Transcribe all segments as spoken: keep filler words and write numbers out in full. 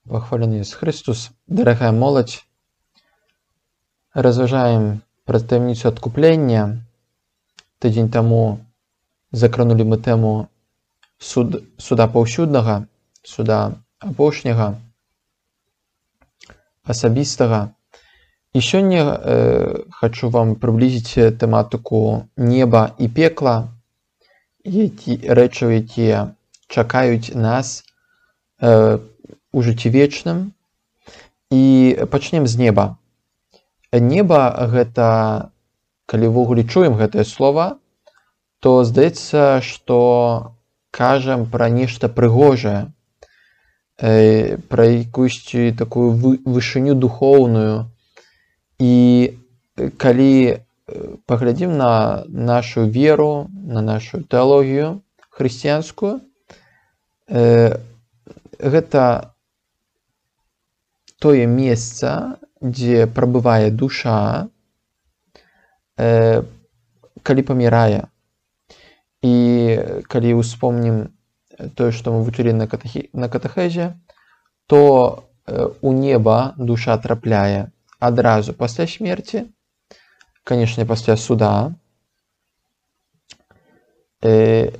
Пахвалены Ісус Христос, дарагая моладзь, разважаем пра таямніцу адкуплення. Тыдзень таму закранулі мы тэму суд, суда паўсюднага, суда апошняга, асабістага. І сёння э, хачу вам прыблізіць тэматыку неба і пекла, які, рэчаў, якія чакаюць нас э, у жыцці вечным. І пачнем з неба. Неба гэта, калі ўвогуле чуем гэтае слова, то здаецца, што кажам пра нешта прыгожае, э, пра якуюсь такую вышыню духоўную. І калі паглядзім на нашу веру, на нашу тэалогію хрысціянскую, э, гэта тое месца, дзе прабывае душа, э, калі памірае. І калі ўспомнім тое, што мы вучылі на, катахі, на катэхезе, то э, у неба душа трапляе адразу пасля смерці, канешне, пасля суда, э,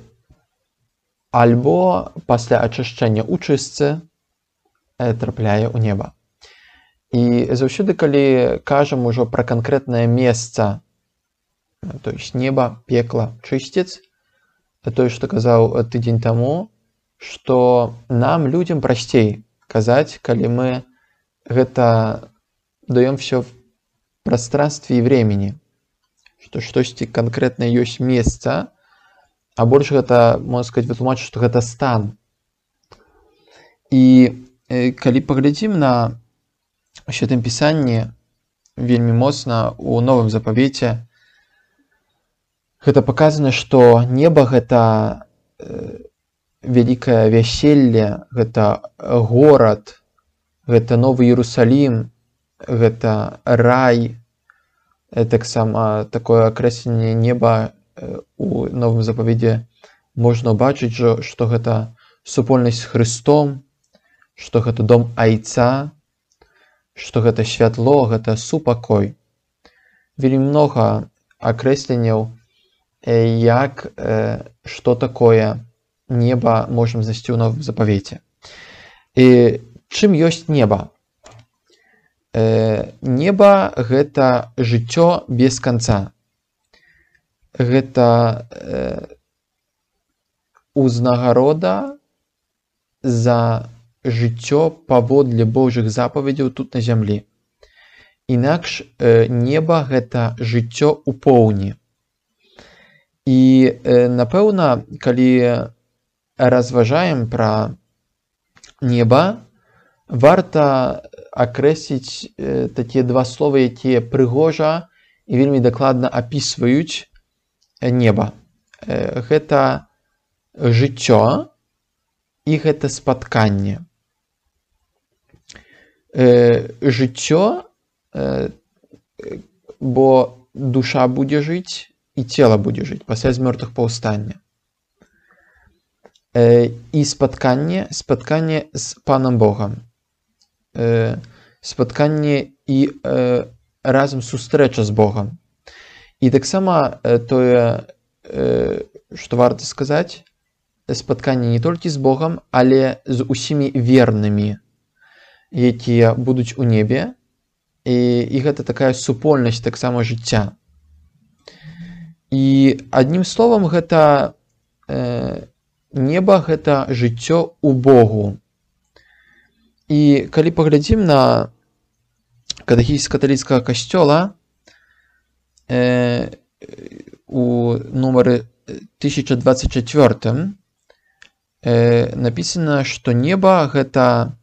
альбо пасля ачышчэння ў чыстцы э, трапляе ў неба. І заўсёды, калі кажам ужо пра канкрэтнае месца, то есть неба, пекла, чысціц, тое, што казаў тыдзень таму, што нам, людзям, прасцей казаць, калі мы гэта даём всё в прастранстве і времени, што штосьці канкрэтна ёсць месца, а больш гэта, можна сказаць, вытлумачыць, што гэта стан. І э, калі паглядзім на Святым Пісанні, вельмі моцна у Новым Запавеце гэта паказана, што неба гэта э, вялікае вяселле, гэта горад, гэта Новы Іерусалім, гэта рай. Таксама такое акрэсленне неба э, у Новым Запавеце можна ўбачыць, што гэта супольнасць з Хрыстом, што гэта дом Айца, што гэта святло, гэта супакой. Вельмі многа акрэсленняў, як, што такое неба можам знайсці ў Новым Запавеце. І чым ёсць неба? Неба гэта жыццё без канца. Гэта узнагарода за жыццё паводле Божых запаведзяў тут на зямлі. Інакш э, неба гэта жыццё ў поўні. І э, напэўна, калі разважаем пра неба, варта акрэсліць э, такія два словы, якія прыгожа і вельмі дакладна апісваюць неба. Э, гэта жыццё і гэта спатканне. Э, жыццё, э, бо душа будзе жыць і цела будзе жыць пасля з мёртвых паўстання. Э, і спатканне, спатканне з Панам Богам. Э, спатканне і э, разам сустрэча з Богам. І таксама э, тое, э, што варта сказаць, спатканне не толькі з Богам, але з усімі вернымі, якія будуць у небе, і, і гэта такая супольнасць таксама жыцця. І адным словам, гэта э, неба гэта жыццё ў Богу. І калі паглядзім на катэхіз каталіцкага касцёла э, у нумары тысяча двадцать четыре э, напісана, што неба гэта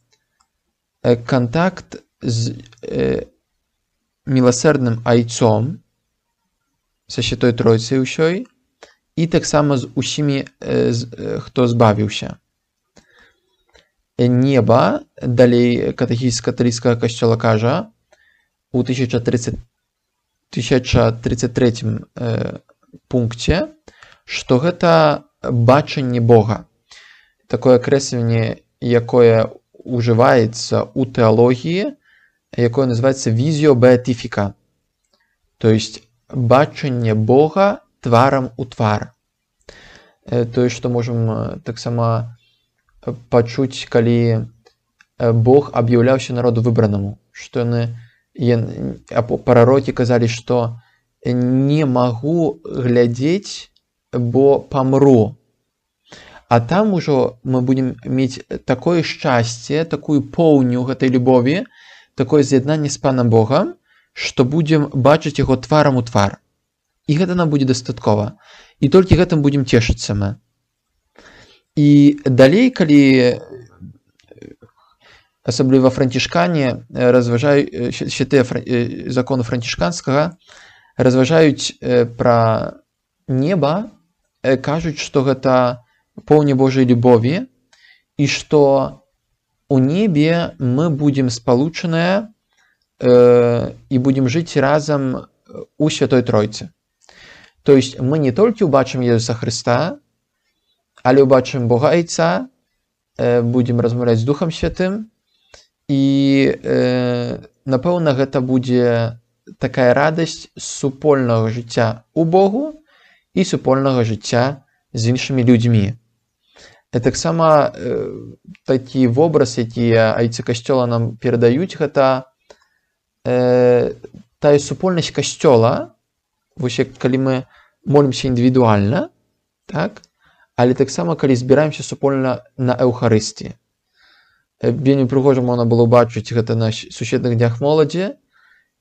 кантакт з э, міласэрным айцом, са Святой Тройцай ўсёй, і таксама з усімі, э, з, э, хто збавіўся. Неба, далей катэхіз каталіцкага касцёла кажа у тысяча тридцать трэцім э, пункце, што гэта бачанне Бога. Такое акрэсленне, якое уживаецца ў тэалогіі, якое называецца візіо беатифіка, то есть бачанне Бога тварам у твар. Тое, што можам таксама пачуць, калі Бог аб'яўляўся народу выбранаму, што яны прарокі казалі, што не магу глядзець, бо памру. А там ужо мы будзем мець такое шчасце, такую поўню гэтай любові, такое з'яднанне з Панам Богам, што будзем бачыць яго тварам у твар. І гэта нам будзе дастаткова. І толькі гэтым будзем цешыцца мы. І далей, калі асабліва францішкане разважаюць, святыя законы францішканскага разважаюць пра неба, кажуць, што гэта поўня Божай любові і што у небе мы будзем спалучаныя э, і будзем жыць разам у Святой Тройцы. То есть мы не толькі ўбачым Езуса Хрыста, але ўбачым Бога Айца, э, будзем размаўляць з Духам Святым, і э, напэўна гэта будзе такая радасць супольнага жыцця у Богу і супольнага жыцця з іншымі людзьмі. Таксама э, такі вобраз, які айцы касцёла нам перадаюць, гэта э, тая супольнасць касцёла, вось як калі мы молімся індывідуальна, так? Але таксама калі збіраемся супольна на Эўхарыстіі. Вельмі прыгожа можна было бачыць гэта на сусветных днях моладзі,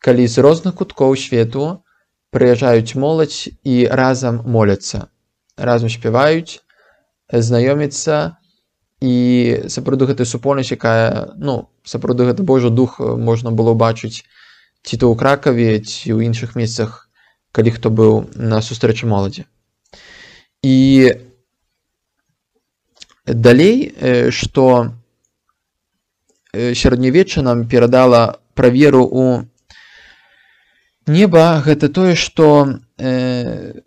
калі з розных куткоў свету прыязджаюць моладзь і разам моляцца, разам спяваюць, знаёміцца, і сапраўды гэта супольнасць, якая, ну, сапраўды гэта Божы дух можна было бачыць ці то ў Кракаве, ці ў іншых месцах, калі хто быў на сустрэчы моладзі. І далей, што сярэднявечча нам перадала пра веру ў неба, гэта тое, што э,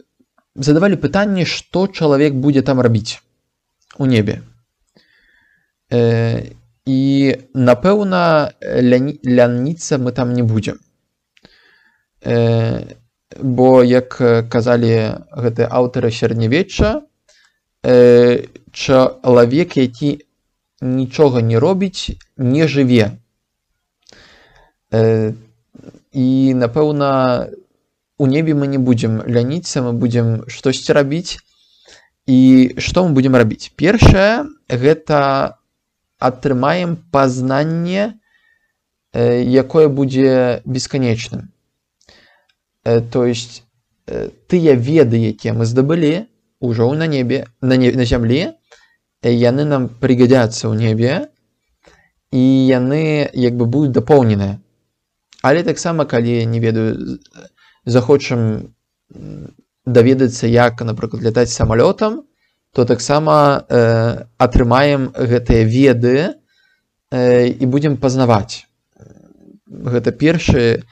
задавалі пытанне, што чалавек будзе там рабіць у небе. Э, і, напэўна, ляні, ляніцца мы там не будзем. Э, бо, як казалі гэтыя аўтары сярэднявечча, э, чалавек, які нічога не робіць, не жыве. Э, і, напэўна, у небе мы не будзем ляніцца, мы будзем штосьці рабіць. І што мы будзем рабіць? Першае, гэта атрымаем пазнанне, якое будзе бесканечным. То есть тыя веды, якія мы здабылі ўжо на небе, на, не, на зямлі, яны нам прыгадзяцца ў небе, і яны як бы будуць дапоўненыя. Але таксама, калі, не ведаю, захочам даведацца, як, напрыклад, лятаць самалётам, то таксама э, атрымаем гэтыя веды э, і будзем пазнаваць. Гэта першае,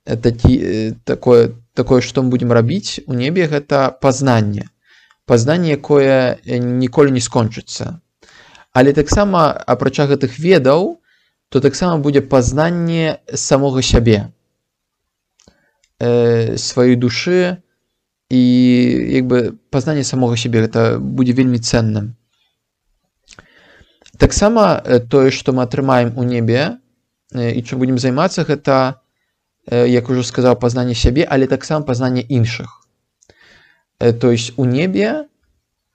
такі, такое, такое, што мы будзем рабіць у небе, гэта пазнанне. Пазнанне, якое ніколі не скончыцца. Але таксама, апрача гэтых ведаў, то таксама будзе пазнанне самога сябе, э, сваёй душы, і як бы пазнанне самога сябе, гэта будзе вельмі ценным. Таксама тое, што мы атрымаем у небе і чым будзем займацца, гэта, як ужо сказаў, пазнанне сябе, але таксама пазнанне іншых. То есть у небе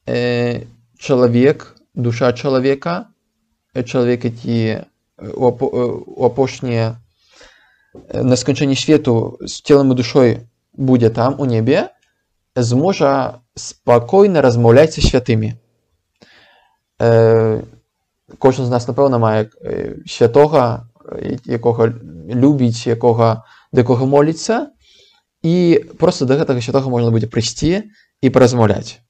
чалавек, душа чалавека, чалавек, які у апошняе на сканчэнні свету з целам і душой будзе там у небе, зможа спакойна размаўляць са святымі. Э, кожны з нас, напэўна, мае святога, якога любіць, якога, да якога моліцца, і проста да гэтага святога можна будзе прыйсці і паразмаўляць.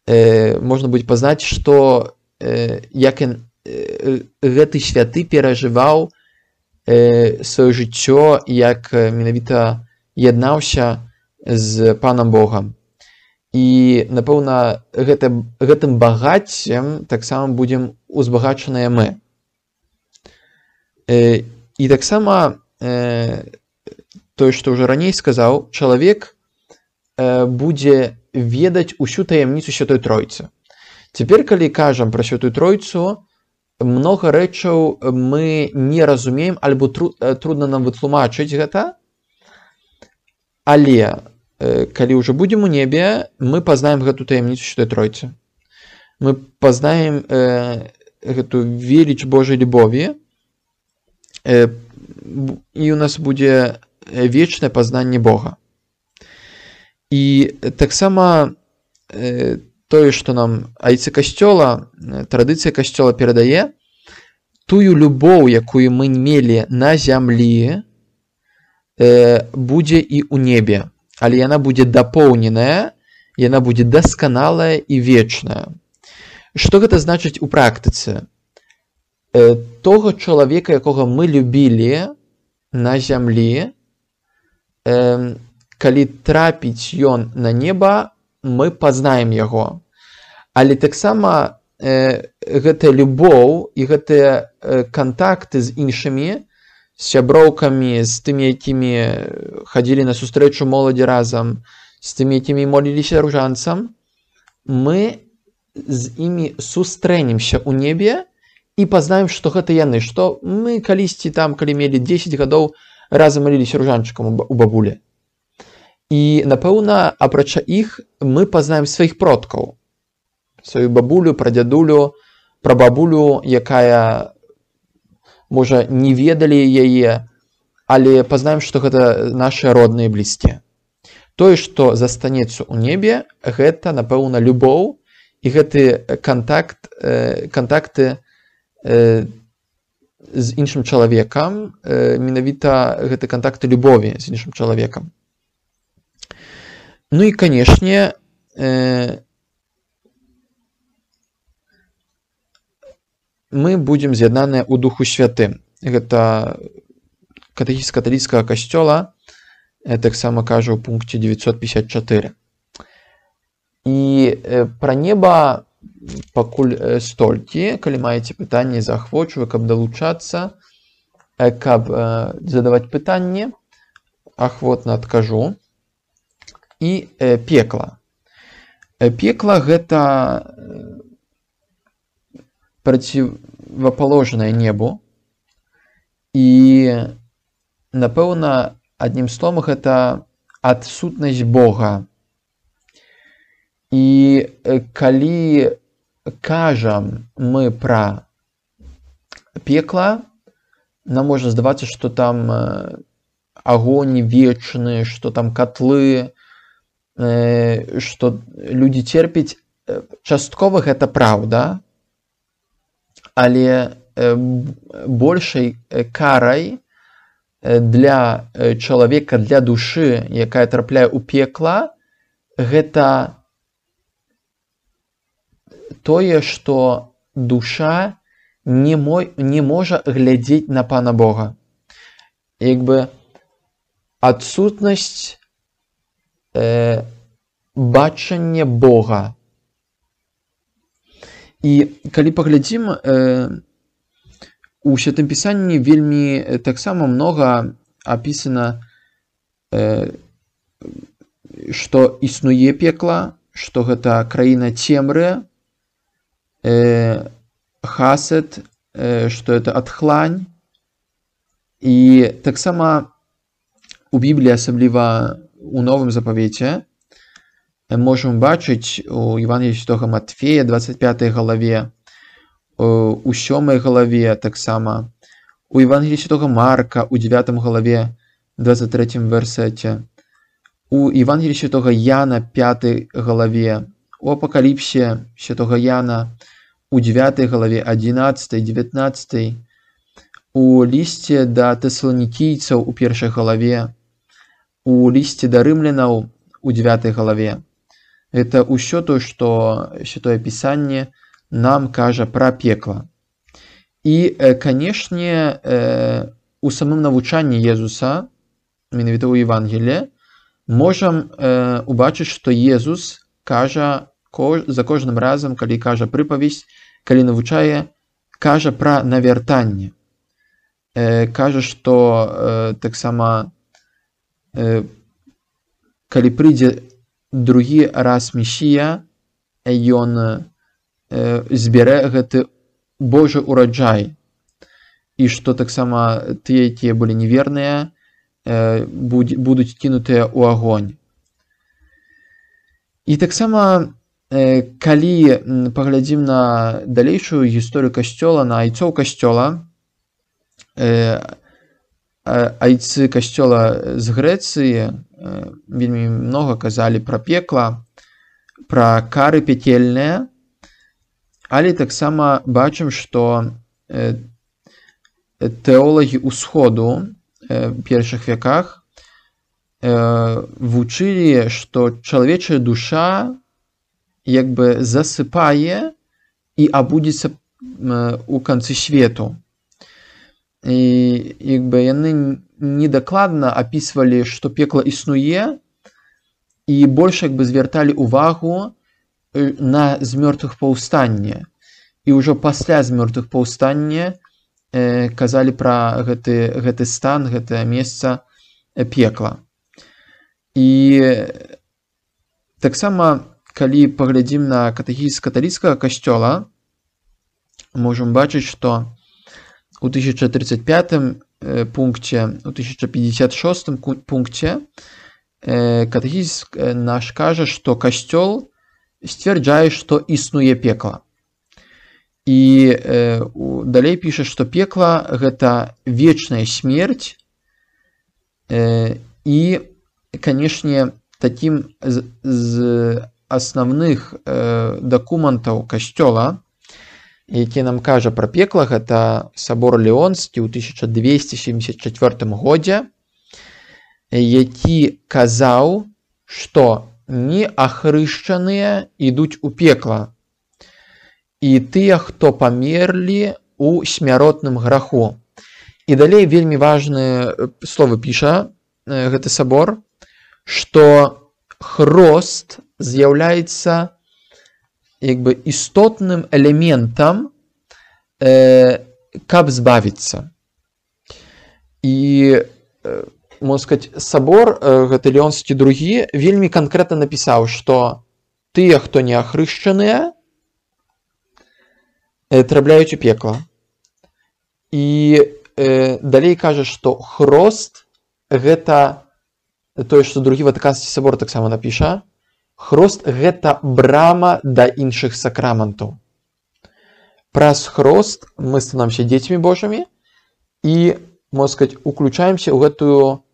Э, можна будзе пазнаць, што э, як ён, э, гэты святы перажываў э, сваё жыццё, як менавіта яднаўся з Панам Богам. І, напэўна, гэта, гэтым багаццем таксама будзем узбагачаныя мы. І таксама тое, што ўжо раней сказаў, чалавек будзе ведаць усю таямніцу Святой Тройцы. Цяпер, калі кажам пра Святую Тройцу, многа рэчаў мы не разумеем, альбо трудна нам вытлумачыць гэта, але калі ўжо будзем у небе, мы пазнаем гэту таямніцу Святой Тройцы. Мы пазнаем гэту веліч Божай любові, і у нас будзе вечнае пазнанне Бога. І таксама тое, што нам айцы касцёла, традыцыя касцёла перадае, тую любоў, якую мы мелі на зямлі, будзе і ў небе. Але яна будзе дапоўненая, яна будзе дасканалая і вечная. Што гэта значыць у практыцы? Того чалавека, якога мы любілі на зямлі, калі трапіць ён на неба, мы пазнаем яго. Але таксама гэтая любоў і гэтыя кантакты з іншымі, з сяброўкамі, з тымі, якімі хадзілі на сустрэчу моладзі разам, з тымі, якімі моліліся ружанцам, мы з імі сустрэнемся ў небе, і пазнаем, што гэта яны, што мы калісьці там, калі мелі дзесяць гадоў, разам маліліся ружанчыкам у бабулі. І, напэўна, апрача іх, мы пазнаем сваіх продкаў. Сваю бабулю, прадзядулю, прабабулю, якая, можа, не ведалі яе, але пазнаем, што гэта нашы родныя блізкія. Тое, што застанецца ў небе, гэта, напэўна, любоў, і гэты кантакт, кантакты з іншым чалавекам, менавіта гэты кантакты любові з іншым чалавекам. Ну і, канешне, мы будзем з'яднаныя ў Духу Святым. Гэта катэхіз каталіцкага касцёла, таксама кажа ў пункце девятьсот пятьдесят четыре. І пра неба пакуль столькі, калі маеце пытанні, заахвочваю, каб далучацца, каб задаваць пытанні, ахвотна адкажу. І пекла. Пекла гэта процивоположнае небу, і, напэўна, адным словам, гэта адсутнасць Бога. І калі кажам мы пра пекла, нам можа здавацца, што там агонь вечны, што там котлы, што людзі церпяць. Часткова гэта праўда, але большай карай для чалавека, для душы, якая трапляе ў пекла, гэта тое, што душа не, мо, не можа глядзець на Пана Бога. Як бы адсутнасць э, бачання Бога. І калі паглядзім, э, у Святым Пісанні вельмі таксама многа апісана, э, што існуе пекла, што гэта краіна цемры, э, хасед, э, што это адхлань. І таксама у Бібліі, асабліва у Новым Запавеце, можам бачыць у Евангеліі Святога Матфея, двадцать пятай главе, у сёмай главе таксама, у Евангеліі Святога Марка, у девятой главе, двадцать третьем версете, у Евангеліі Святога Яна, пятой главе, у Апокаліпсе Святога Яна, у девятой главе, одиннадцатой, девятнадцатой, у лісце да тэсаланікійцаў у першай главе, у лісце да рымлянаў у девятой главе. Это ўсё то, што Святое Пісанне нам кажа пра пекла. І, канешне, у самым навучанні Езуса, менавіта ў Евангеліі, можам убачыць, што Езус кажа за кожным разам, калі кажа прыпавесць, калі навучае, кажа пра навяртанне. кажа, што таксама калі прыйдзе другі раз Месія, ён збярэ гэты Божы ураджай, і што таксама тыя, якія былі неверныя, будуць кінутыя ў агонь. І таксама, калі паглядзім на далейшую гісторыю касцёла, на айцоў касцёла, айцы касцёла з Грэцыі вельмі многа казалі пра пекла, пра кары пякельныя, але таксама бачым, што тэолагі ўсходу ў першых вяках вучылі, што чалавечая душа як бы засыпае і абудзіцца ў канцы свету. І як бы яны недакладна апісвалі, што пекла існуе, і больш як бы звярталі ўвагу на змёртвых паўстанне. І ўжо пасля змёртвых паўстання казалі пра гэты, гэты стан, гэтае месца пекла. І таксама, калі паглядзім на катэхізіс каталіцкага касцёла, можам бачыць, што у тысяча тридцать пятым пункце, у тысяча пятьдесят шостым пункце катэхізіс наш кажа, што касцёл сцвярджае, што існуе пекла. І э, далей піша, што пекла – гэта вечная смерць, э, і, канешне, такім з, з асноўных э, дакументаў касцёла, які нам кажа пра пекла, гэта сабор Леонскі ў тысяча двесце семьдесят чацвёртым годзе, які казаў, што неахрышчаныя ідуць у пекла, і тыя, хто памерлі ў смяротным граху. І далей вельмі важныя словы піша гэты сабор, што хрост з'яўляецца як бы істотным элементам, э, каб збавіцца. І, э, можна сказаць, сабор, э, гэты Леонскі другі, вельмі канкрэтна напісаў, што тыя, хто не ахрышчаныя, э, трапляюць у пекла. І э, далей кажа, што хрост гэта тое, што другі Ватыканскі сабор таксама напіша, хрост гэта брама да іншых сакраментаў. Праз хрост мы становімся дзецьмі Божымі і, можна сказаць, уключаемся ў гэтую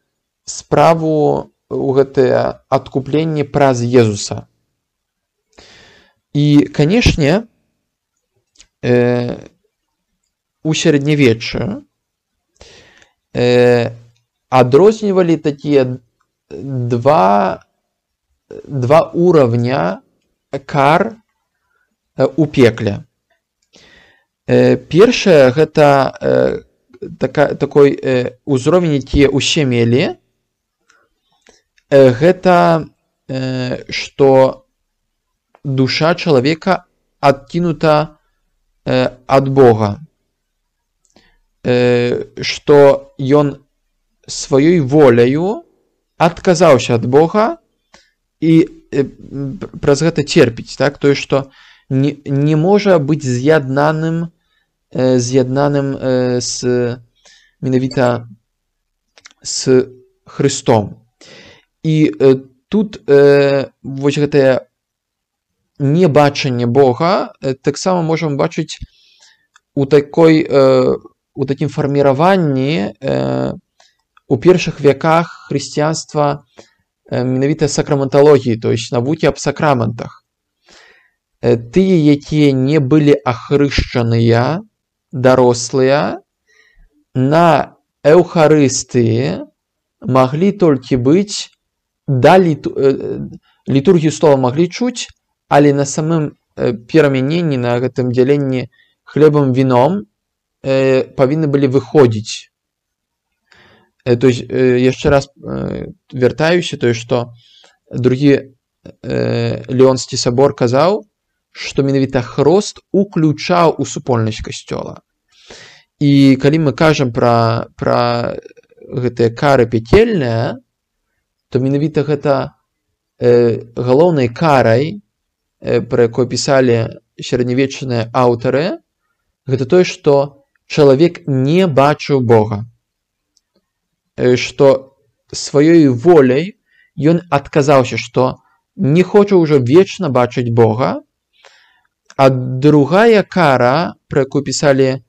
справу, у гэтае адкупленне праз Езуса. І, канешне, э, у сярэднявеччы э, адрознівалі такія два два уровня кар у пекле. Першае гэта така, такой узровень, які ўсе мелі, гэта што душа чалавека адкінута ад Бога, што ён сваёй воляю адказаўся ад Бога і э, праз гэта церпіць, так? Тое, што не, не можа быць з'яднаным, э, з'яднаным э, з, менавіта з Христом. І э, тут э, вось гэтае небачанне Бога э, таксама можам бачыць у такой, э, у такім фарміраванні э, у першых вяках хрысціянства менавіта сакраменталогіі, то есть навукі аб сакраментах. Тыя, якія не былі ахрышчаныя, дарослыя, на эўхарыстыі маглі толькі быць, да літу... літургію слова маглі чуць, але на самым перамяненні, на гэтым дзяленні хлебам віном павінны былі выходзіць. То есть, яшчэ раз вяртаюся, то есть, што другі Леонскі сабор казаў, што менавіта хрост уключаў у супольнасць касцёла. І калі мы кажам пра, пра гэтыя кары пякельныя, то менавіта гэта э, галоўнай карай, э, пра якой пісалі сярэднявечныя аўтары, гэта тое, што чалавек не бачыў Бога. Э, што сваёй воляй ён адказаўся, што не хоча ўжо вечна бачыць Бога. А другая кара, пра якую пісалі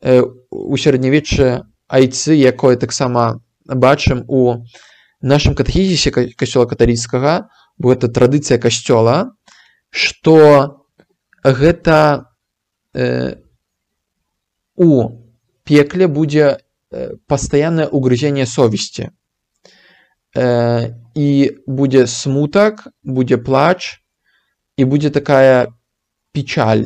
э, у сярэднявеччы айцы, якое таксама бачым у нашым катэхізісе касцёла каталіцкага, бо гэта традыцыя касцёла, што гэта э, у пекле будзе пастаяннае угрызенне совесці. Э, і будзе смутак, будзе плач, і будзе такая печаль.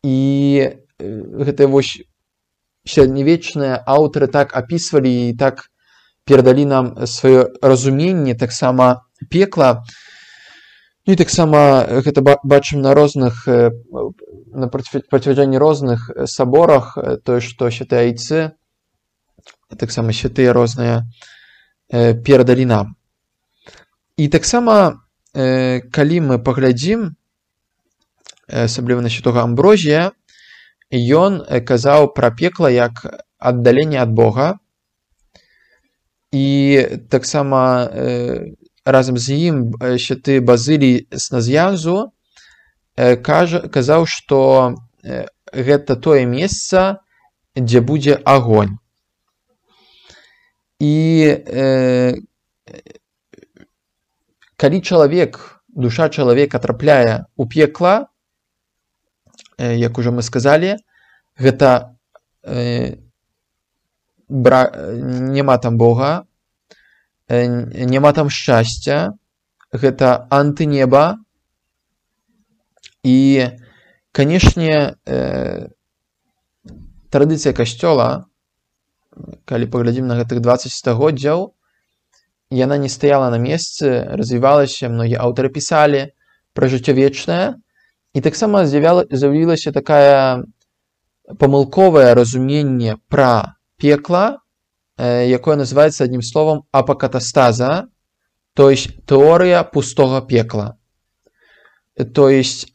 І э, гэтыя вось сярэднявечныя аўтары так апісвалі і так перадалі нам сваё разуменне таксама пекла. І таксама гэта бачым на розных, на процвярджэнні розных саборах, тое, што святыя айцы, таксама святыя розныя перадалі нам. І таксама, калі мы паглядзім, асабліва на святога Амброзія, ён казаў пра пекла як аддаленне ад Бога. І таксама разам з ім святы Базылій з Наз'янзу казаў, што гэта тое месца, дзе будзе агонь. І э, калі чалавек, душа чалавека трапляе ў пекла, э, як ужо мы сказалі, гэта э, бра... няма там Бога, э, няма там шчасця, гэта антынеба. І, канешне, э, традыцыя касцёла, калі паглядзім на гэтых дваццаць стагоддзяў, яна не стаяла на месцы, развівалася, многія аўтары пісалі пра жыццё вечнае, і таксама з'явілася такая памылковае разуменне пра пекла, якое называецца адным словам апакатастаза, то есть тэорыя пустога пекла. То есть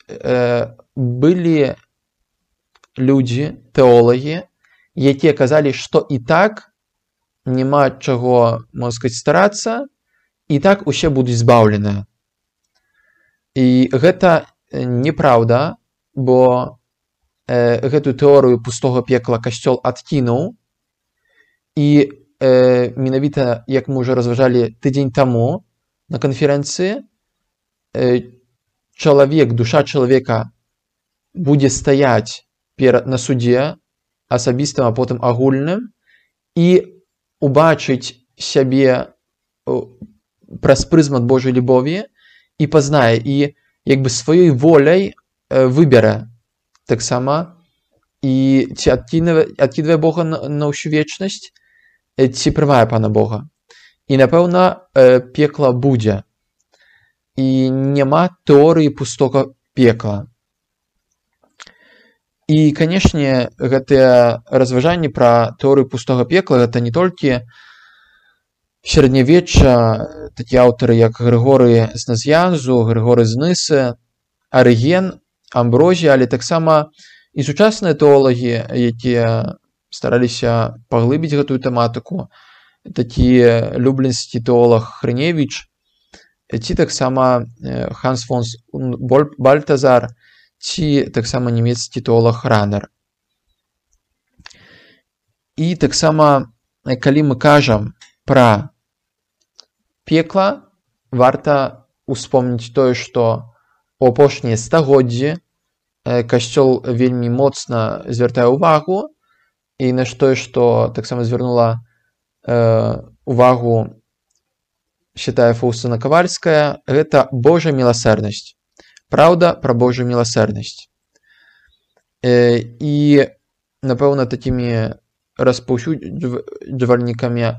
былі людзі, тэолагі, якія казалі, што і так няма чаго, можна сказаць, старацца, і так усе будуць збаўленыя. І гэта неправда, бо э, гэтую тэорыю пустога пекла касцёл адкінуў, і э, менавіта, як мы ўжо разважалі тыдзень таму на канферэнцыі, э, чалавек, душа чалавека будзе стаяць перад, на судзе, асабістым, а потым агульным, і убачыць сябе праз прызмат Божай любові і пазнае, і як бы сваёй воляй выбярэ таксама, і ці адкідвае, адкідвае Бога на, на ўсю вечнасць, ці прымае Пана Бога. І, напэўна, пекла будзе. І няма тэорыі пустога пекла. І, канешне, гэтыя разважанні пра тэорыю пустога пекла, гэта не толькі сярэднявечча, такія аўтары, як Грыгорый з Наз'янзу, Грыгорый з Нысы, Арыген, Амброзія, але таксама і сучасныя тэолагі, якія стараліся паглыбіць гэтую тэматыку, такі люблінскі тэолаг Хрыневіч, ці таксама Ханс фон Бальтазар, ці таксама нямецкі тэолаг Ранер. І таксама, калі мы кажам пра пекла, варта успомніць тое, што у апошнія стагоддзі касцёл вельмі моцна звяртае ўвагу, і на тое, што таксама звярнула э, увагу святая Фаўсціна Кавальская, гэта Божая міласэрнасць. Праўда пра Божую міласэрнасць. Э, і, напэўна, такімі распаўсюджвальнікамі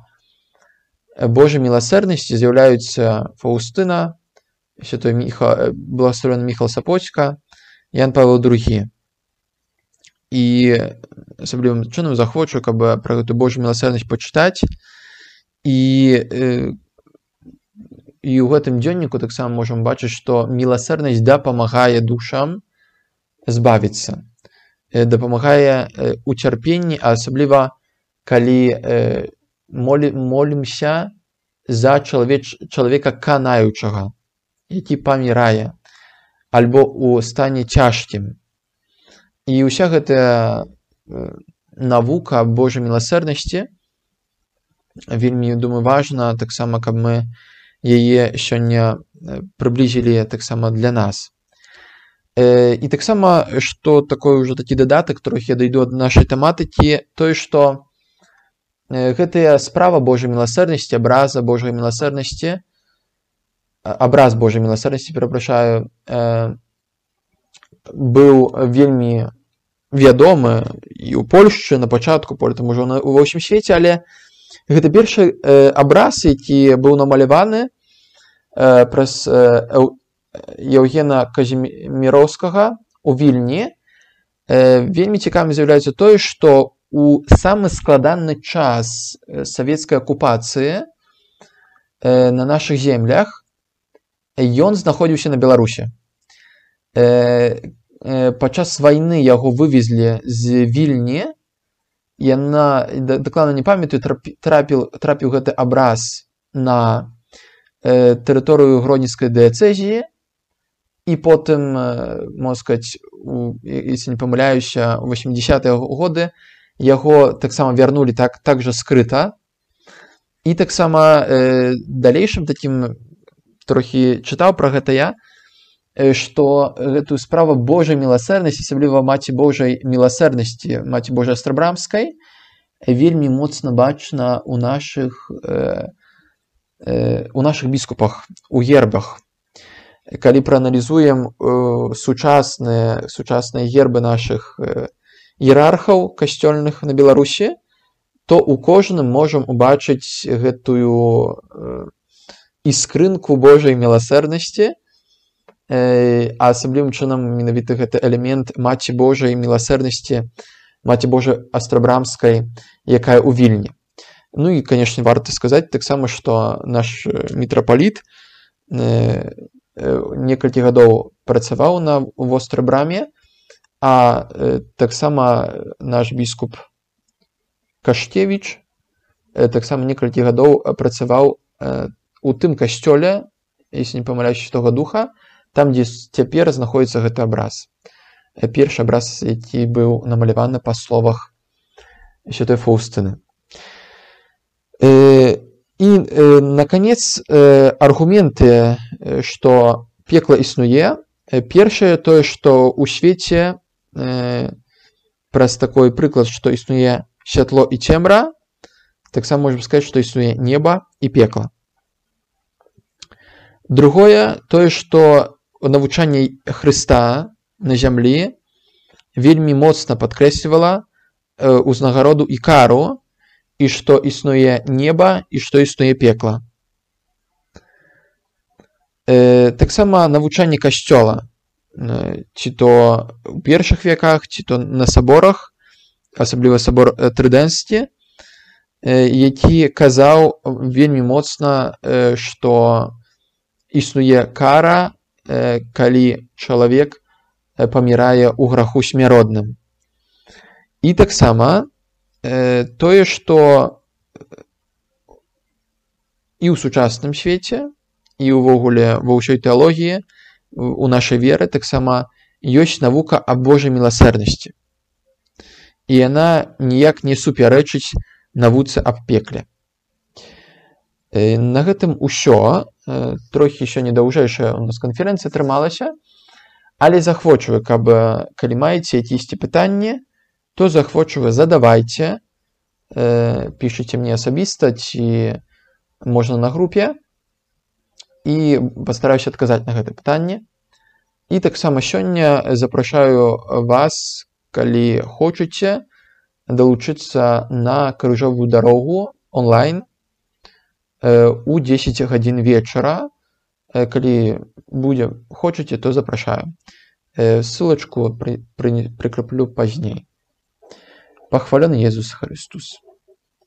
Божай міласэрнасці з'яўляюцца Фаўстына, святой Міхал, благословенны Міхал Сапоцька, Ян Павел другі. І асаблівым чынам захвочу, каб пра гэту Божую міласэрнасць пачытаць. І, і ў гэтым дзённіку таксама можам бачыць, што міласэрнасць дапамагае душам збавіцца, дапамагае у цярпенні, а асабліва калі молі, молімся за чалавеч, чалавека канаючага, які памірае, альбо ў стане цяжкім. І ўся гэтая навука Божай міласэрнасці вельмі, думаю, важна, таксама, каб мы яе сёння прыблізілі таксама для нас. І таксама, што такой уже такі дадатак, трохі я дайду ад нашай тэматыкі, тое, што гэтая справа Божай міласэрнасці, абраза Божай міласэрнасці, абраз Божай міласэрнасці, перапрашаю, быў вельмі вядомы і ў Польшчы на пачатку, потым ужо ва ўсім свеце, але гэта першы абраз, які быў намаляваны праз Еўгена Казіміроўскага у Вільні. Вельмі цікавым з'яўляецца тое, што у самы складаны час савецкай акупацыі на нашых землях ён знаходзіўся на Беларусі. Падчас вайны яго вывезлі з Вільні, яна, дакладна не памятаю, трапіў, трапіў гэты абраз на тэрыторыю Гродзенскай дыяцэзіі, і потым, можна сказаць, если не памыляюся, у восьмідзесятыя годы яго таксама вярнулі так, так жа скрыта. І таксама далейшым такім трохі чытаў пра гэта я, што гэтую справу Божай міласэрнасці, асабліва Маці Божай міласэрнасці, Маці Божай Астрабрамскай, вельмі моцна бачна ў нашых, у нашых біскупах, у гербах. Калі прааналізуем сучасныя, сучасныя гербы нашых іерархаў касцёльных на Беларусі, то ў кожным можам убачыць гэтую іскрынку Божай міласэрнасці, а асаблівым чынам менавіта гэты элемент Маці Божай міласэрнасці, Маці Божай Астрабрамскай, якая ў Вільні. Ну і, канешне, варта сказаць таксама, што наш мітрапаліт некалькі гадоў працаваў на Вострабраме, а таксама наш біскуп Кашкевіч таксама некалькі гадоў працаваў у тым касцёле, если не памыляюся, Святога Духа, там, дзе цяпер знаходзіцца гэты абраз. Першы абраз, які быў намаляваны па словах святой Фаўстыны. І, наконец, аргументы, што пекла існуе. Першае, тое, што ў свеце праз такой прыклад, што існуе святло і цемра, таксама можам сказаць, што існуе неба і пекла. Другое, тое, што навучанне Хрыста на зямлі вельмі моцна падкрэслівала узнагароду і кару, і што існуе неба, і што існуе пекла. Таксама навучанне касцёла, ці то ў першых веках, ці то на саборах, асабліва сабор Трыдэнскі, які казаў вельмі моцна, што існуе кара, калі чалавек памірае ў граху смяротным. І таксама тое, што і ў сучасным свеце, і ўвогуле ва ўсёй тэалогіі, у нашай веры таксама ёсць навука аб Божай міласэрнасці. І яна ніяк не супярэчыць навуцы аб пекле. На гэтым усё. Трохі сёння даўжэйшая у нас канферэнцыя атрымалася, але захвочваю, каб калі маеце якісь пытанні, то захвочваю, задавайце, пішыце мне асабіста, ці можна на групе, і пастараюся адказаць на гэта пытанне. І таксама сёння запрашаю вас, калі хочаце, далучыцца на крыжовую дарогу онлайн у дзесяць гадзін вечара. Калі будзе, хочаце, то запрашаю. Ссылачку пры, пры, прикреплю пазней. Пахвален Езус Христус.